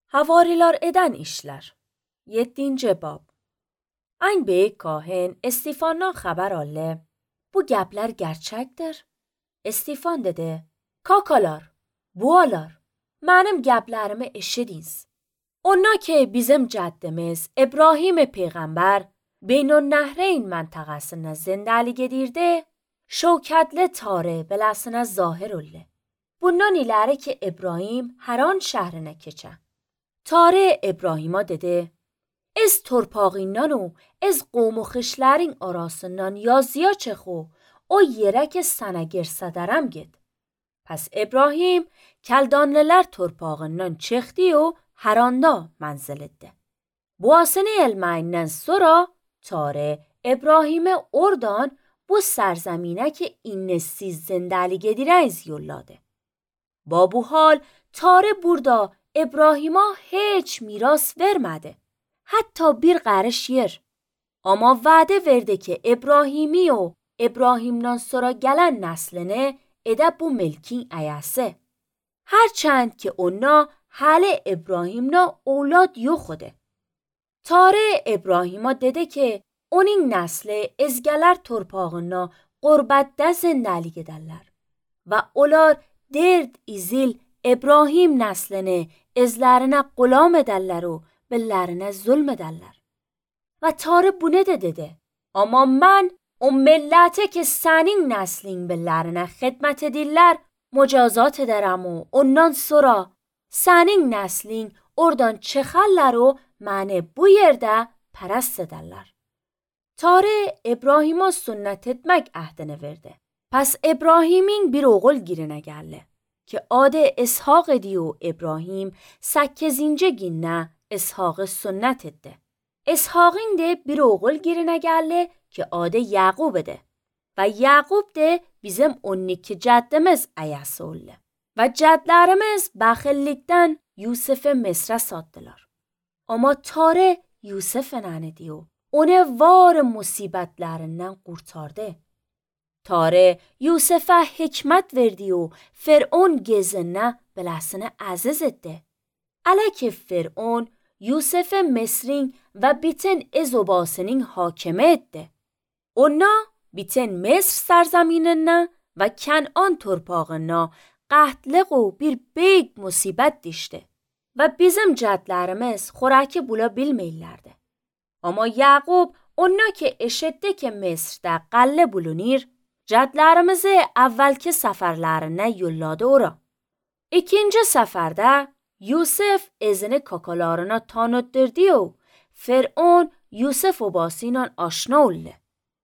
Havariler eden işler. 7. bab. Ein bey kahin Estifandan haber aldı. Bu gepler gerçektir. Estifan dedi. Kakalar, bualar, benim geplerimi eşidiniz. Ona ki bizim caddemiz İbrahim peygamber Beynun Nehreyn mentıqasına zindelik edirdi, şevketli tarih belasına zahir oldu. Bundan ileri ki İbrahim Haran şehrine keçe. Tarih İbrahim'a dedi, از torpağından و از قوم و خشلرین arasından yazıya çekhu o yere ki sana girsedərəm git. Pes İbrahim keldanlılar torpağından çıktı و Haranda منزل etti. Bu asını elmeyinden sonra Tarih İbrahim'e oradan bu سرزمینه ki innesiz zindelik edireyiz yolladı. با bu hal Tarih burada İbrahim'a hiç miras vermedi. Hatta bir qarış yer. Ama vədə verdi ki İbrahimi o İbrahim'dan sonra gələn nəslini edə bu milkin əyəsi. Hərçənd ki ona hələ İbrahim'na اولاد yoxudu. Tarih İbrahim'a dedi ki onun nəsli ezgələr torpağına qurbətdə zindelik edərlər. Və onlar derd izil İbrahim nəslini ezlərinə qulam edərlər o bellerine zulmederler. Ve Tarih bunu da dedi. Ama ben o millete ki senin neslin bellerine xidmət edirlər mücazat ederim و ondan sonra senin neslin oradan çıxarlar o məni bu yerde pərəst ederlər. Tarih İbrahim'a sünnet etmek əhdini verdi. Pes İbrahim'in bir oğul girine geldi. Ki adı İshak idi و İbrahim 8. günne İshak'ı sünnet etti. İshak'ın de bir oğul girine geldi ki adı Yaqub idi. Ve Yaqub de bizim 12 caddimiz ayası oldu. Ve cadlarımız baxillikten Yusuf'u Mısır'a sattılar. Ama Tarih Yusuf'u nənidi و onu var musibetlerinden kurtardı. Tarih Yusuf'a hikmet verdi و فرعون gezine belasını aziz etti. Ələ ki فرعون Yusuf Mısır'ın ve bütün ezobasının hakime etti. Ona bütün Mısır سرزمینine ve Kenan torpağına qəhtlıq و bir büyük musibet düştü. Ve bizim cədlərimiz xoraki bula bilmeyirlerdi. Ama Yaqub ona ki eşitti ki Mısır'da qalle bulunir, cədlərimizi evvelki səfərlərinə yolladı ora. İkinci səfərdə Yusuf ezini kakalarına tanıttırdı و فرعون Yusuf obasıyla aşna oldu.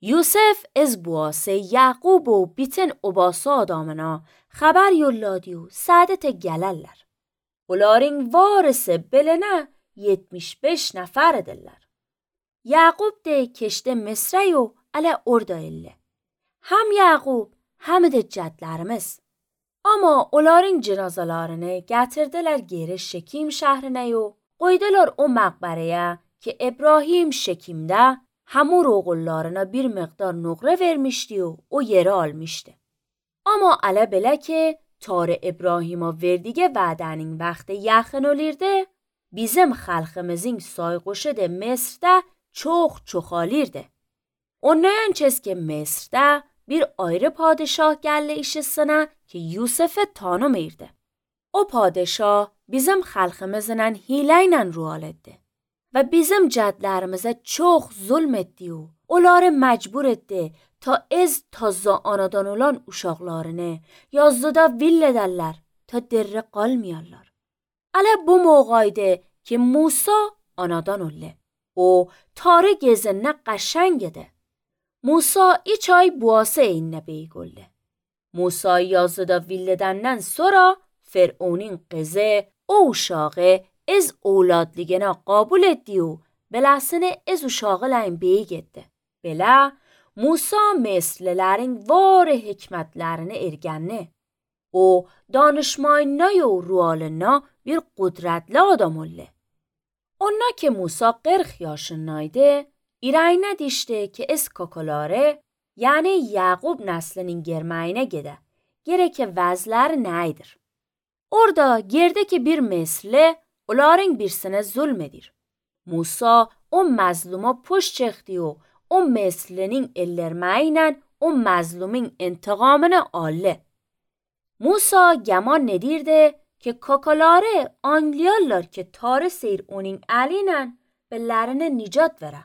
Yusuf ez buası Yaqub و bütün obası adamına haber yolladı و saadete gelirler. Onların varisi beline 75 nefer edirler. Yaqub de keşte Mısır'a و ala orada elli. Hem Yaqub hem de cədlərimiz. Ama onların cenazalarını gətirdiler geri Şekim şehrine و qoydular o məqbərəyə ki İbrahim Şekim'de hamur oğullarına bir miqdar nöqrə vermişdi و o yeri almışdı. Ama ələ belə ki Tarih İbrahim'a verdiği vədənin vaxtı yaxın olirdi, bizim xalqımızın sayğışı da Mısır'da çox çoxalirdi. Ondan çez ki Mısır'da bir ayrı padişah geldi işisine ki Yusuf'u tanımirdi. O padişah bizim xalqımızla hileyle ruhal etti ve bizim cədlərimize çok zulm etti و onları mecbur etti ta ez tazza anadan olan uşaqlarını yazdıda vill ederler ta derre qalmayarlar. Ələ bu moğaydı ki Musa anadan oldu. O Tarih gezinne qəşəng idi. Musa 2 ay buası eyinne beygoldu. Musa yazıda villedenden sonra فرعونین قزه او uşağı ez oğladligine qabul etdi و belasını ez uşağılayın beyi getdi. Belə Musa Mısırlıların var hikmetlerini ergənni. O danışmayına و rualına bir qudretli adam oldu. Ona ki Musa 40 yaşındaydı, İrayna dişti ki ez kakaları yani Yaqub neslinin germəyinə gedə. Gerek ki vəzlər nəydir? Orada gerdeki bir Mısırlı Oların birsine zulmedir. Musa o mazluma puşt çekti o Mesr'lerin ellermeyle o mazlumin intikamını aldı. Musa geman nedirdi ki kakaları angliyalar ki tarih seyir onun elinen bellerine nicat vere.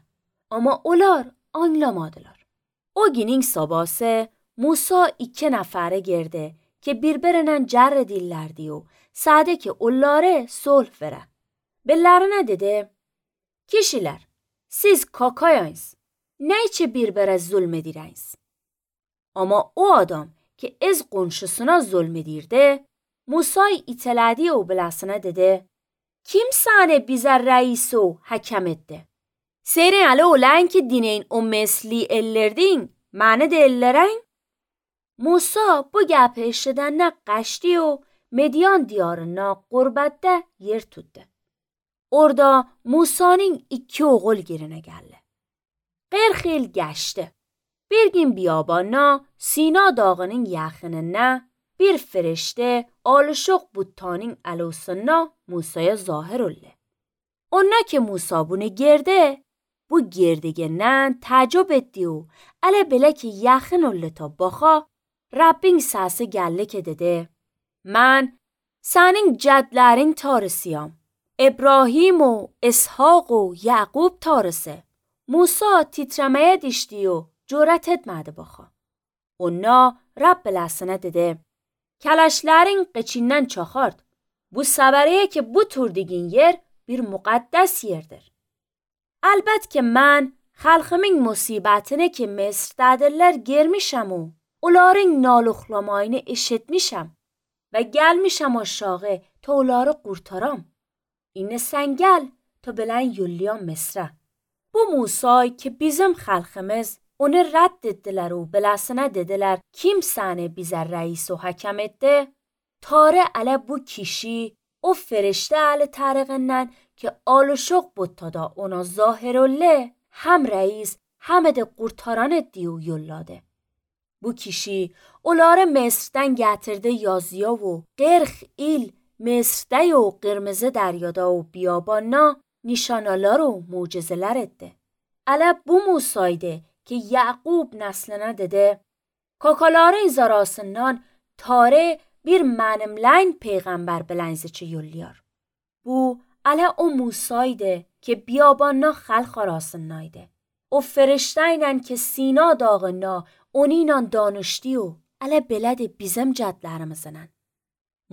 Ama olar anlamadılar. O günün sabahı Musa 2 nefere girdi ki birbirinden cer dillerdi o sade ki onları sulh vere. Bellerine dedi, kişiler siz kakayayız, neyçe birbirine zulmedireyiniz? Ama o adam ki ez qonşusuna zulmedirdi, Musa'yı iteledi o belasına dedi, kim sane bize reis o hakem etti? Serin alı olan ki dineyin o mesli ellerdin, mane de ellereyn? Musa bu gəpi eşidenne qaçtı o Medyan diyarına qurbette yer tuttu. Orada Musa'nın 2 oğul girine geldi. Qırxil geçti. Bir gün biyabana Sina dağının yaxınına bir ferişte alışıq buttanın alusuna Musa'ya zahir oldu. Ona ki Musa bunu girdi, bu girdiğinden tacib etti o ələ belə ki yaxın oldu ta baxa, Rabbin səsi geldi ki dedi, من senin cədlərin tarısıyam. İbrahim و İshaq و یعقوب tarısı. Musa titremeye dişti o cüret etmedi baxa. Ona Rab belasına dedi, kələşlərin qıçindən çaxart. Bu səbəriyə ki bu turdigin yer bir müqəddəs yerdir. Əlbət ki mən xalqımın musibətini ki Mesrdədirlər girmişəm o onların naluxlamayını eşitmişəm və gəlmişəm aşağı ta onları qurtaram. İnə sən gəl ta bilən yollayam Mesrə. Bu Musa'yı ki bizim xalqımız onu rədd etdilər o belasına dedilər kim səni bizə reis o hakem etti? Tare ələ bu kişi o ferişte əli tariqindən ki alışıq buttada ona zahir oldu hem reis hem de qurtaran etdi o yolladı. Bu kişi onları Mesr'dən gətirdi yazıya و 40 il Mesr'də o qırmızı deryada o biyabana nişanalar و mucizeler etti. Ələ bu Musa'ydı ki Yaqub nesline dedi, kakaların zarasından tare bir mənimləyn peyğəmbər bilənziçi yolluyar. Bu ələ o Musa'ydı ki biyabanna xalq arasındaydı. O feriştəylə ki Sina dağına onunla danışdı o ələ belədi bizim cədlərimizdən.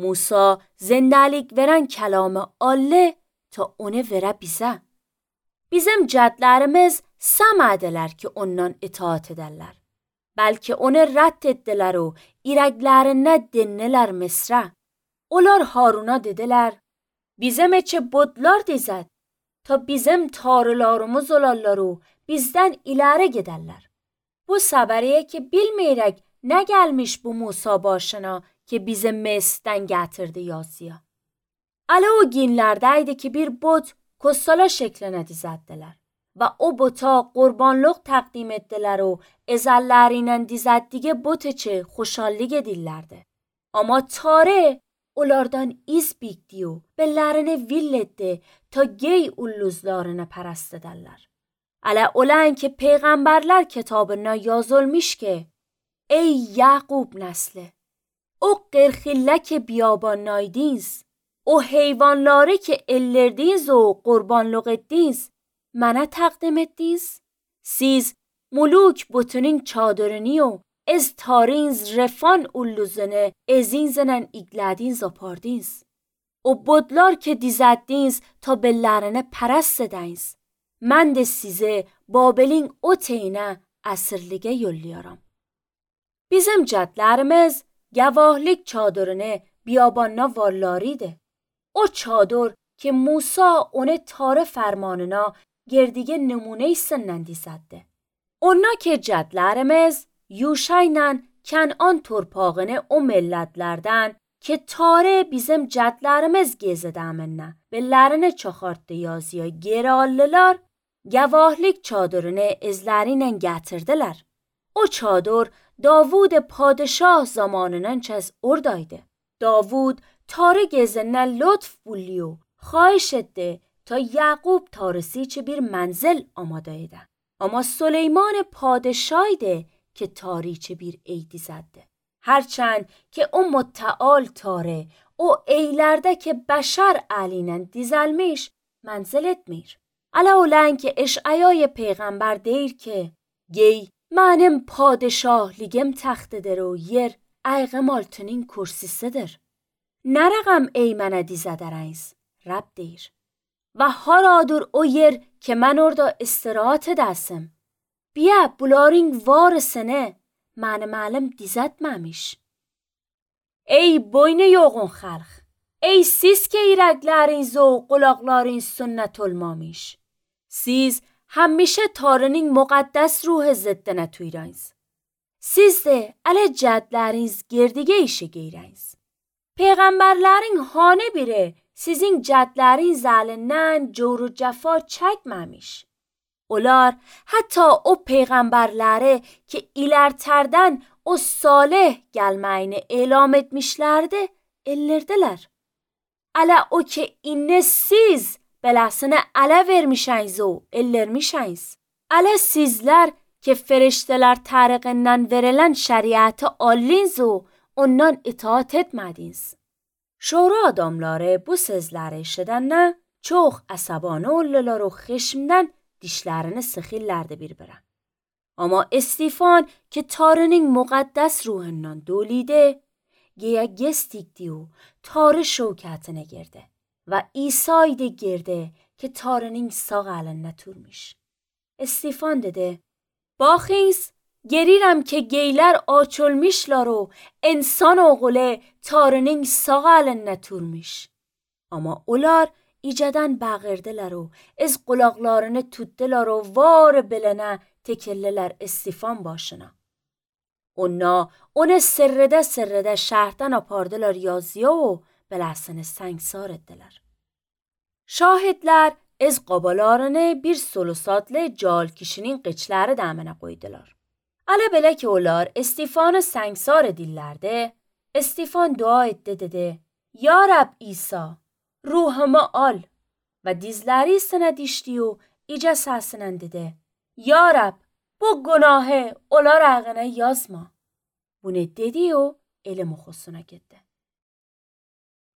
Musa zindəlik verən kəlamı allı ta onu verə bizə. Bizim cədlərimiz səmədilər ki ondan itaat edərlər. Bəlkə onu rədd etdilər o irəklərinə dinlilər Misrə. Onlar Haruna dedilər, bizim eçə budlar dizət, ta bizim tarılarımız olarlar o bizdən iləri gedərlər. Bu səbəriyə ki bilməyirək nə gəlmiş bu Musa başına ki bizi Mesrdən gətirdi yazıya. Ələ o günlərdəydi ki bir but kostala şeklinə dizəddilər və o buta qurbanlıq təqdim etdilər o ezəllərinə dizəddiği but içi xoşallik edirlərdi. Amma tare onlardan iz bikdi o bellərini vill etdi ta gey ulluzlarını pərəst edərlər. Ələ olan ki peyğəmbərlər kitabına yazılmış ki ey Yaqub nəsli, o qırxillə ki biyabannaydınız, o heyvanları ki ellerdiniz و qurbanlıq etdiniz, mənə təqdim etdiniz. Siz muluk butunun çadırını و از tarins refan ulluzunu ezinzenen iqlədiniz apardiniz. O budlar ki dizəddiniz ta bellərini pərəst edəniz. Mən də sizi Babelin o teynə əsirliğə yolluyaram. Bizim cədlərimiz gavahlik çadırını biyabanna varlarıydı. O çadır ki Musa onu tare fermanına gerdige numune sindən dizəddi. Ona ki cədlərimiz Yuşayla Kənan torpağını o millətlərdən ki tare bizim cədlərimiz gezədəminə bellərini çaxartdı yazıya geri aldılar, gavahlik çadırını izlərinə gətirdilər. O çadır Davud padişah zamanından çəz oradaydı. Davud tare gezindən lütf buliyo xahiş etti ta Yaqub tarısı çi bir manzil amada ede. Ama Süleyman padişahıydı که تاریچه bir eydi Herçend ki o متعال tare o eylerde ki beşer alinen dizelmiş منزل etmir. Ala olan ki eş'ayای peygamber deyir ki gey benim padişahligim taxtıdır o yer ayğım altının kürsisidir. Neragam eymene dizederiniz Rab deyir. Ve haradır o yer ki ben orada istirahat edesim. Bia buların varisine mənim dizətməmiş. Ey boynu yoğun xalq, ey siz ki irəkləriniz o qulaqların sünnət olmamış. Siz həmişə Tanrının müqəddəs ruhu ziddinə tüyrəniz. Siz də ələ cədləriniz gerdigə işi geyrəniz. Peyğəmbərlərin hanı biri sizin cədlərin zəlindən cor cəfa çəkməmiş. Onlar hatta o peygamberlere ki ilerterden o salih gelmeyini elam etmişlerdi, ellerdiler. Ala o ki inne siz belasını ala vermişsiniz o ellermişsiniz. Ala sizler ki ferişteler tariqinden verilen şeriatı alınız o ondan itaat etmediniz. Şura adamları bu sözleri işidenne çok asabane oldular o xişmden dişlerini sıxırlardı bir-birə. Ama Estefan ki Tanrının müqəddəs ruhundan dolidə, geyə gestikdi o Tanrı şövkətinə girdi və İsa'ydı girdi ki Tanrının sağ əlində turmuş. Estefan dedi, baxınız, gerirəm ki geylər açılmışlar o insan oğlu Tanrının sağ əlində turmuş. Ama onlar İcadan bağırdılar o, az qulaqlarını tutdular o, var bilene tekilliler Estefan başına. Onu sırrıda şəhərdən apardılar yazıya o, belasını səngsar etdiler. Şahidler az qabalarını bir solusatlı cal kişinin qıçları dəminə qoydular. Ala belə ki onlar Estefanı səngsar edirlərdi, Estefan dua etti dedi, Ya Rab İsa, ruhumu al ve dizleri sana dişti o iyice sesinen dedi. Ya Rab bu günahı onlar ağına yazma. Bunu dedi o elim oxusuna gitti.